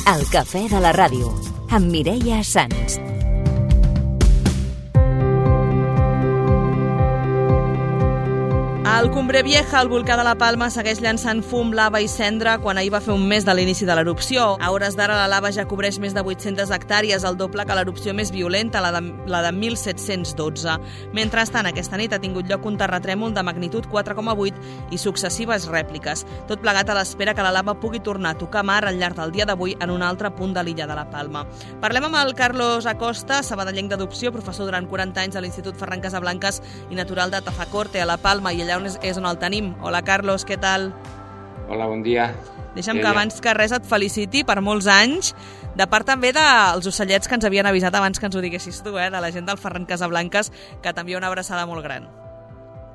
El cafè de la ràdio, amb Mireia Sans. El Cumbre Vieja, el volcà de la Palma, segueix llançant fum, lava i cendra quan ahir va fer un mes de l'inici de l'erupció. A hores d'ara la lava ja cobreix més de 800 hectàrees, el doble que l'erupció més violenta, la de 1712. Mentrestant, aquesta nit ha tingut lloc un terratrèmol de magnitud 4,8 i successives rèpliques. Tot plegat a l'espera que la lava pugui tornar a tocar mar al llarg del dia d'avui en un altre punt de l'illa de la Palma. Parlem amb el Carlos Acosta, sabadellenc d'adopció, professor durant 40 anys a l'Institut Ferran Casablancas i natural de Tazacorte, a la Palma, i allà és on el tenim. Hola, Carlos, què tal? Hola, bon dia. Deixa'm que abans que res et feliciti per molts anys, de part també dels ocellets que ens havien avisat abans que ens ho diguessis tu, de la gent del Ferran Casablancas, que t'envia una abraçada molt gran.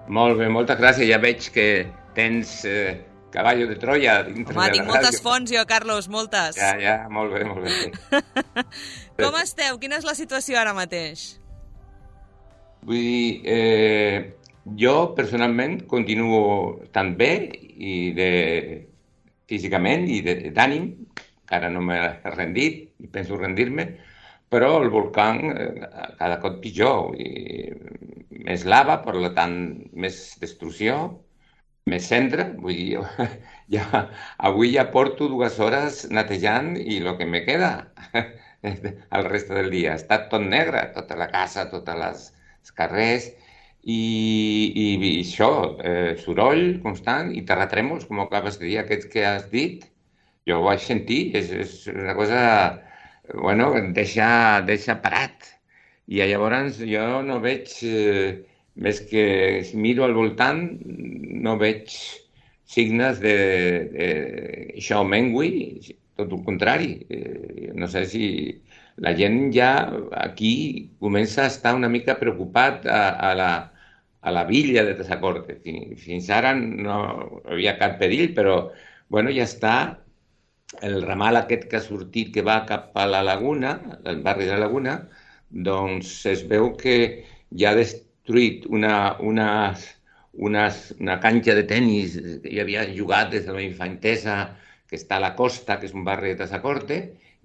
Molt bé, moltes gràcies. Ja veig que tens cavallo de Troia dintre de la ràdio. Tinc moltes fonts jo, Carlos, moltes. Ja, molt bé, molt bé. Com esteu? Quina és la situació ara mateix? Vull dir, jo personalment continuo estant bé físicament i d'ànim, encara no m'he rendit i penso rendir-me, però el volcà cada cop pitjor, més lava, per tant més destrucció, més cendra. Vull dir, avui ja porto 2 hores netejant i el que me queda el reste del dia. Està tot negre, tota la casa, tots els carrers, i això, soroll constant i terratrèmols, com acabes de dir, aquests que has dit. Jo ho vaig sentir, és una cosa, bueno, deixa parat. I llavors jo no veig, més que si miro al voltant, no veig signes això mengui, tot el contrari. No sé si la gent ja aquí comença a estar una mica preocupat a la villa de Tazacorte. Fins ara no havia cap perill, però bueno, ja està. El ramal aquest que ha sortit, que va cap a la Laguna, el barri de la Laguna, doncs es veu que ja ha destruït una canxa de tenis que hi havia jugat des de la infantesa, que està a la costa, que és un barri de Tazacorte,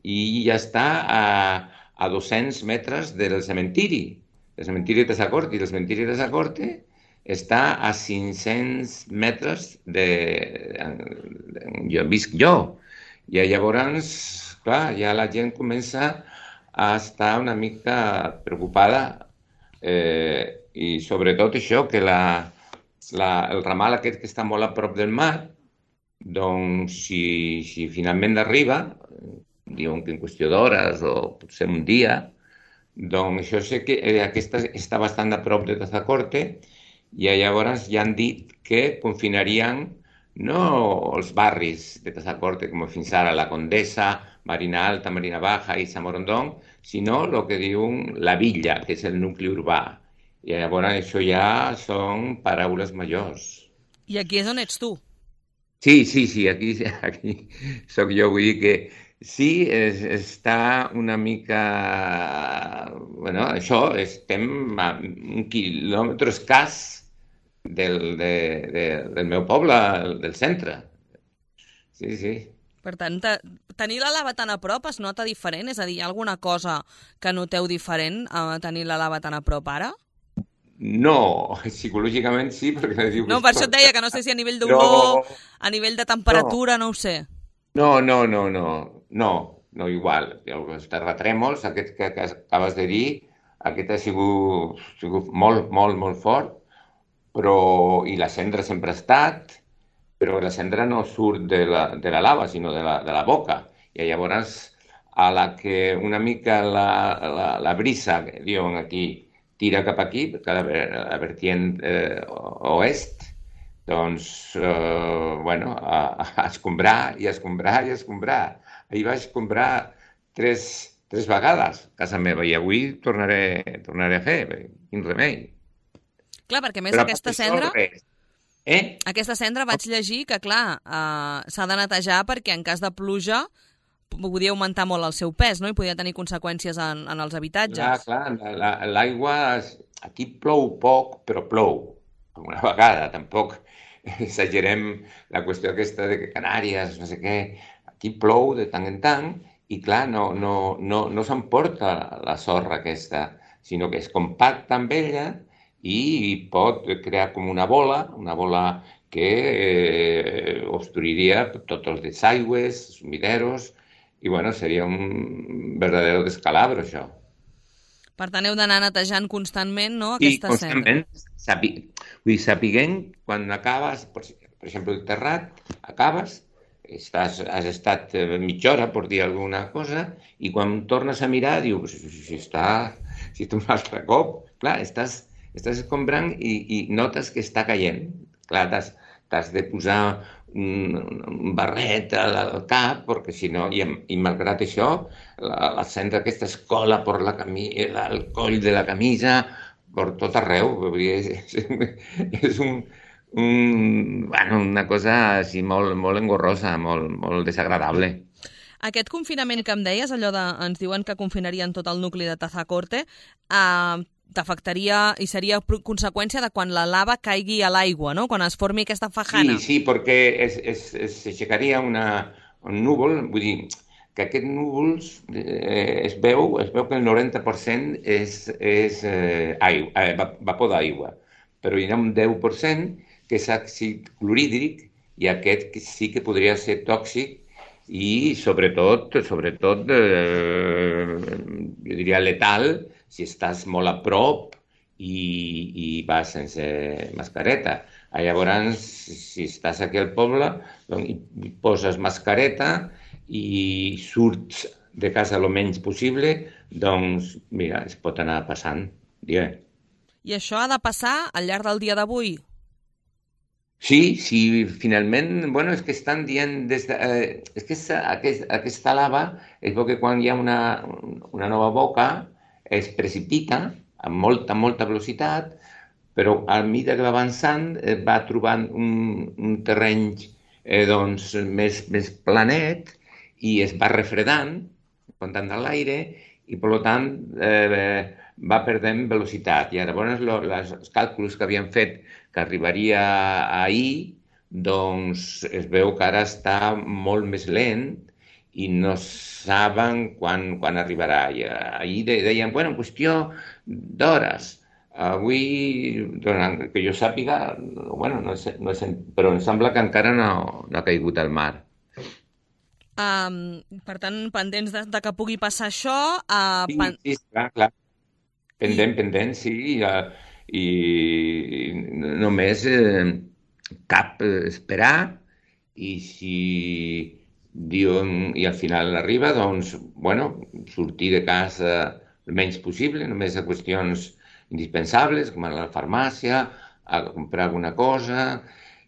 i ja està a 200 metres del cementiri de Tazacorte, i el cementiri de Tazacorte està a 500 metres on visc jo. I llavors, clar, ja la gent comença a estar una mica preocupada, i sobretot això, que el ramal aquest que està molt a prop del mar, doncs si finalment arriba, diuen que en qüestió d'hores o potser un dia, doncs això sé que aquesta està bastant a prop de Tazacorte, i llavors ja han dit que confinarien no els barris de Tazacorte com fins ara, la Condesa, Marina Alta, Marina Baja i Samorondón, sinó el que diuen la villa, que és el nucli urbà. I llavors això ja són paraules majors. I aquí és on ets tu? Sí, aquí soc jo, vull dir que sí, està una mica... Bueno, això, estem a 1 quilòmetre escàs del meu poble, del centre. Sí. Per tant, tenir la lava tan a prop es nota diferent? És a dir, hi ha alguna cosa que noteu diferent a tenir la lava tan a prop ara? No, psicològicament sí, perquè... No, per això et deia que no sé si a nivell d'olor, a nivell de temperatura, no ho sé. No, igual. Els terratrèmols, aquest que acabes de dir, aquest ha sigut molt, molt, molt fort, però, i la cendra sempre ha estat, però la cendra no surt de la lava, sinó de la boca. I llavors, a la que una mica la brisa, que diuen aquí, tira cap aquí, la vertient oest, doncs, bueno, a escombrar i escombrar i escombrar. Ahir vaig escombrar 3 vegades a casa meva i avui tornaré a fer. Quin remei. Clar, perquè més aquesta cendra... Aquesta cendra vaig llegir que, clar, s'ha de netejar perquè en cas de pluja podia augmentar molt el seu pes, no? I podia tenir conseqüències en els habitatges. Clar, l'aigua... Aquí plou poc, però plou. Una vegada, tampoc exagerem la qüestió aquesta de que Canàries, no sé què... Aquí plou de tant en tant i clar, no s'emporta la sorra aquesta, sinó que es compacta amb ella i pot crear com una bola que obstruiria tots els desaigües, sumideros, i bueno, seria un verdadero descalabro, això. Per tant, heu d'anar netejant constantment, no?, Sí, aquesta cendra. constantment, vull dir, sapiguent quan acabes, per exemple, el terrat, acabes, has estat mitja hora, per dir alguna cosa, i quan tornes a mirar, dius, si està un altre cop, clar, estàs escombrant i notes que està caient. Clar, t'has de posar un barret al cap, perquè si no, i malgrat això, la cendra aquesta es cola per el coll de la camisa, per tot arreu. Vull dir, és bueno, una cosa així molt engorrosa, molt desagradable. Aquest confinament que em deies, allò de ens diuen que confinarien tot el nucli de Tazacorte, t'afectaria i seria conseqüència de quan la lava caigui a l'aigua, no?, quan es formi aquesta fajana. Sí, perquè s'aixecaria un núvol, vull dir, que aquests núvols es veu que el 90% és vapor d'aigua, però hi ha un 10% que és àcid clorhídric i aquest sí que podria ser tòxic i sobretot jo diria letal si estàs molt a prop i vas sense mascareta. Llavors, si estàs aquí al poble, doncs, poses mascareta i surts de casa el menys possible, doncs, mira, es pot anar passant. Digue'm. I això ha de passar al llarg del dia d'avui? Sí, finalment, bueno, és que estan dient és que aquesta lava es veu que quan hi ha una nova boca es precipita amb molta velocitat, però a mesura que va avançant va trobant un terreny doncs, més planet i es va refredant, comptant de l'aire, i per tant va perdent velocitat. I llavors els càlculs que havien fet que arribaria ahir, doncs es veu que ara està molt més lent i no saben quan arribarà. I ahir deien, bueno, en qüestió d'hores. Avui, que jo sàpiga, bueno, però em sembla que encara no ha caigut al mar. Per tant, pendents de que pugui passar això... Sí, clar. Pendent, sí. I només cap esperar i si diuen i al final arriba, doncs, bueno, sortir de casa el menys possible, només a qüestions indispensables, com a la farmàcia, a comprar alguna cosa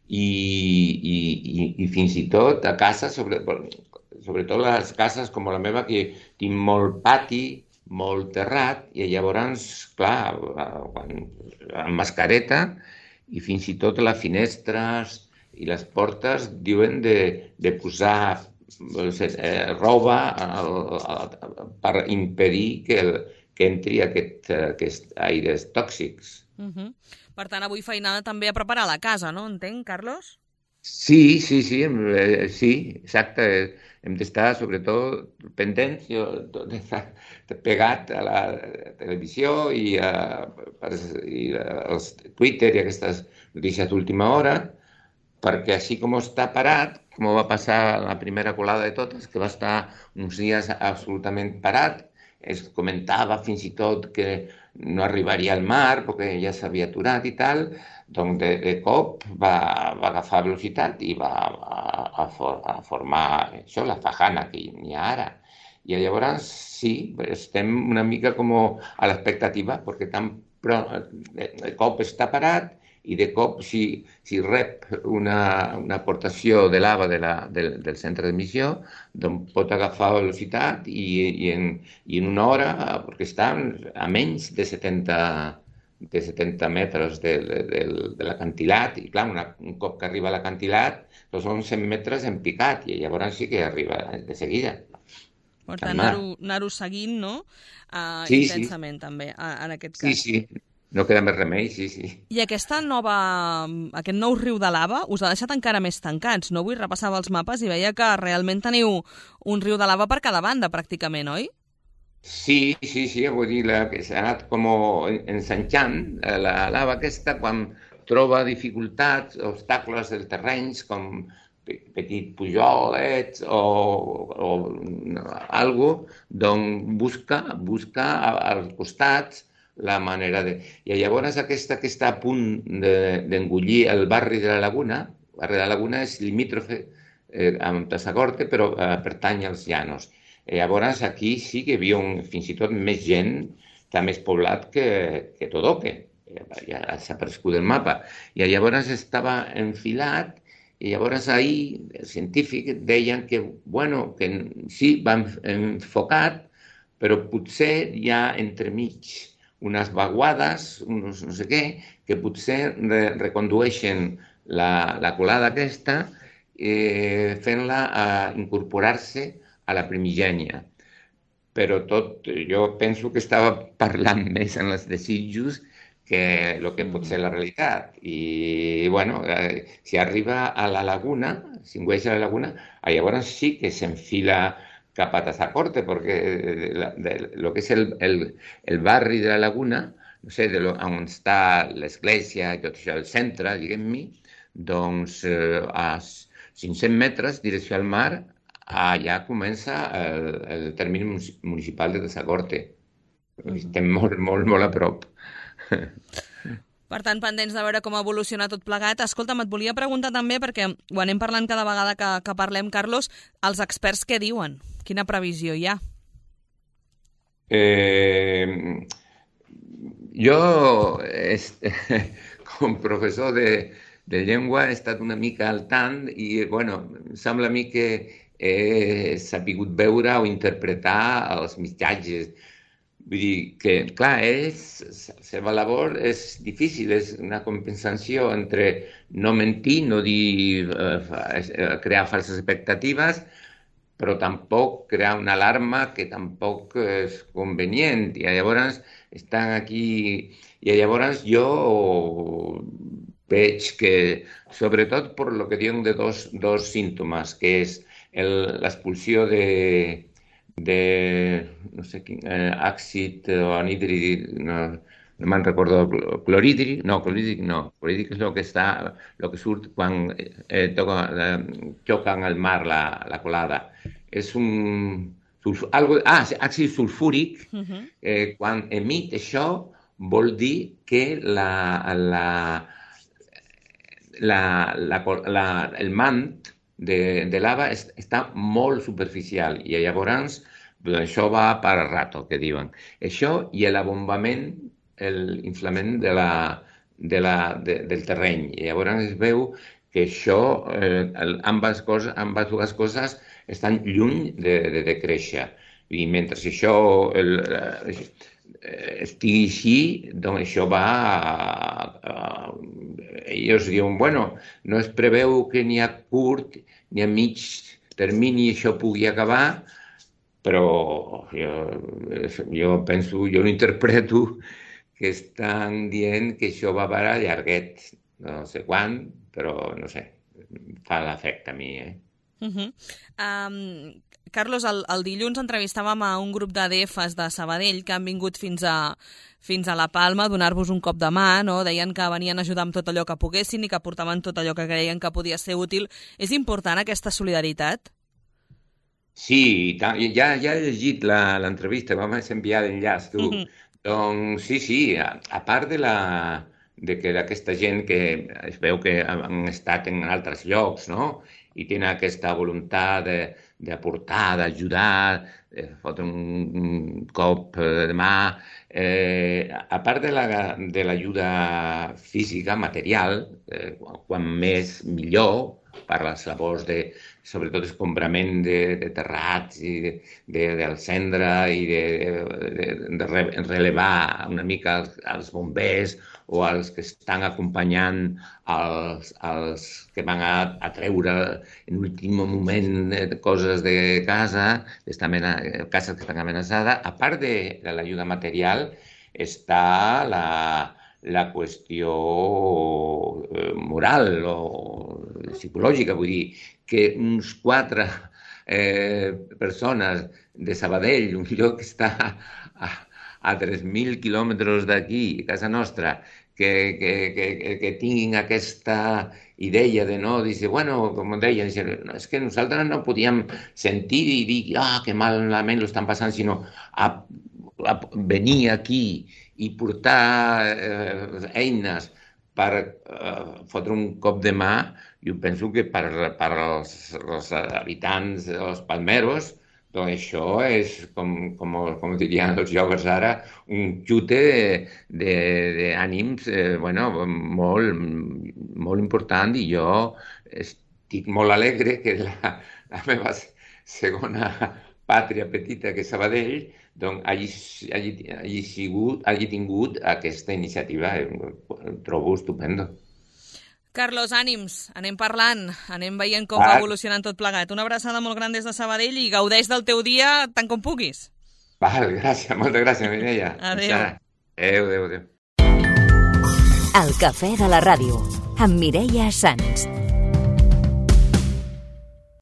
i fins i tot a casa, sobretot les cases com la meva, que tinc molt pati, molt terrat, i llavors, clar, amb mascareta i fins i tot les finestres i les portes diuen de posar roba per impedir que entri aquests aires tòxics. Per tant, avui feinada també a preparar la casa, no? Entenc, Carlos? Sí, exacte. Hem d'estar, sobretot, pendents, pegat a la televisió i als Twitter i aquestes notícies d'última hora, perquè així com està parat, com va passar la primera colada de totes, que va estar uns dies absolutament parat, es comentava fins i tot que no arribaria al mar perquè ja s'havia aturat i tal, doncs de cop va agafar velocitat i va a formar això, la fajana que hi ha ara. I llavors sí, estem una mica com a l'expectativa, perquè de cop està parat i de cop si rep una aportació de lava del centre d'emissió, doncs pot agafar velocitat i en una hora, perquè està a menys de 70 metres de l'acantilat, i clar, un cop que arriba a l'acantilat, doncs són 100 metres en picat, i llavors sí que arriba de seguida. Per tant, anar-ho seguint, no? Sí, Intensament, també, en aquest cas. Sí. No queda més remei, sí, sí. I aquest nou riu de lava us ha deixat encara més tancats, no? Avui repassava els mapes i veia que realment teniu un riu de lava per cada banda, pràcticament, oi? Sí, sí, sí, vull dir que s'ha anat com ensanxant la lava aquesta quan troba dificultats, obstacles dels terrenys com petit pujolets o algo, doncs busca als costats la manera de... I llavors aquesta que està a punt d'engullir el barri de la Laguna, el barri de la Laguna és limítrofe amb Tassagorte, però pertany als Llanos. Llavors aquí sí que hi havia fins i tot més gent, està més poblat que Todoque, ja s'ha aparegut el mapa. I llavors estava enfilat i llavors ahir els científics deien que, bueno, que sí, van enfocat, però potser hi ha entremig unes vaguades, uns no sé què, que potser recondueixen la colada aquesta fent-la incorporar-se a la primigènia. Però jo penso que estava parlant més en els desitjos que el que pot ser la realitat. I, bueno, si arriba a la laguna, si engüeix a la laguna, llavors sí que s'enfila cap a Tazacorte, perquè el que és el barri de la laguna, no sé, on està l'església i tot això, el centre, diguem-ne, doncs a 500 metres, direcció al mar, allà comença el termini municipal de Tazacorte. Estem molt, molt, molt a prop. Per tant, pendents de veure com evoluciona tot plegat. Escolta'm, et volia preguntar també, perquè ho anem parlant cada vegada que parlem, Carlos, els experts què diuen? Quina previsió hi ha? Jo, com professor de llengua, he estat una mica al tant i, bueno, sembla a mi que he sabut veure o interpretar els missatges. Vull dir que, clar, la seva labor és difícil, és una compensació entre no mentir, no dir, crear falses expectatives, però tampoc crear una alarma que tampoc és convenient. I llavors estan aquí... I llavors jo veig que, sobretot per lo que diuen de dos símptomes, que és l'expulsió de no sé quin, àcid o anhídrid, no me'n recordo, clorhídric és el que surt quan xoquen al mar la colada. És àcid sulfúric, quan emit això vol dir que el mant de lava està molt superficial i llavors això va per a rato, que diuen. Això i l'abombament, l'inflament del terreny. I llavors es veu que això, ambes dues coses estan lluny de créixer. I mentre això estigui així, doncs això va... Ells diuen, bueno, no es preveu que ni a curt ni a mig termini això pugui acabar, però jo penso, jo l'interpreto que estan dient que això va per a llarguet, no sé quan, però no sé, fa l'efecte a mi, Carlos, el dilluns entrevistàvem a un grup d'ADFs de Sabadell que han vingut fins a La Palma a donar-vos un cop de mà, no? Deien que venien a ajudar amb tot allò que poguessin i que portaven tot allò que creien que podia ser útil. És important aquesta solidaritat? Sí, ja he llegit l'entrevista, vam enviar l'enllaç, tu. Doncs sí, a part de que aquesta gent que es veu que han estat en altres llocs, no?, i tenen aquesta voluntat d'aportar, d'ajudar, fotre un cop de mà. A part de l'ajuda física, material, quan més millor, per les labors sobretot escombrament de terrats i del cendra i de relevar una mica els bombers o els que estan acompanyant els que van a treure en últim moment coses de casa, cases que estan amenaçades. A part de l'ajuda material, està la qüestió moral o psicològica, vull dir, que uns 4 persones de Sabadell, un lloc que està a 3.000 quilòmetres d'aquí, a casa nostra, que tinguin aquesta idea de no, dice, bueno, com deia, dice, no, és que nosaltres no podíem sentir i dir, que malament lo estan passant, sinó a venir aquí i portar eines per fotre un cop de mà. Jo penso que per als habitants dels Palmeros, doncs això és, com dirien els joves ara, un xute d'ànims molt important, i jo estic molt alegre que la meva segona pàtria petita, que és Sabadell, doncs hagi tingut aquesta iniciativa. Ho trobo estupendo. Carlos, ànims, anem parlant, anem veient com va evolucionant tot plegat. Una abraçada molt gran des de Sabadell i gaudeix del teu dia tant com puguis. Val, gràcies, moltes gràcies, Mireia. Adéu. El cafè de la ràdio, amb Mireia Sans.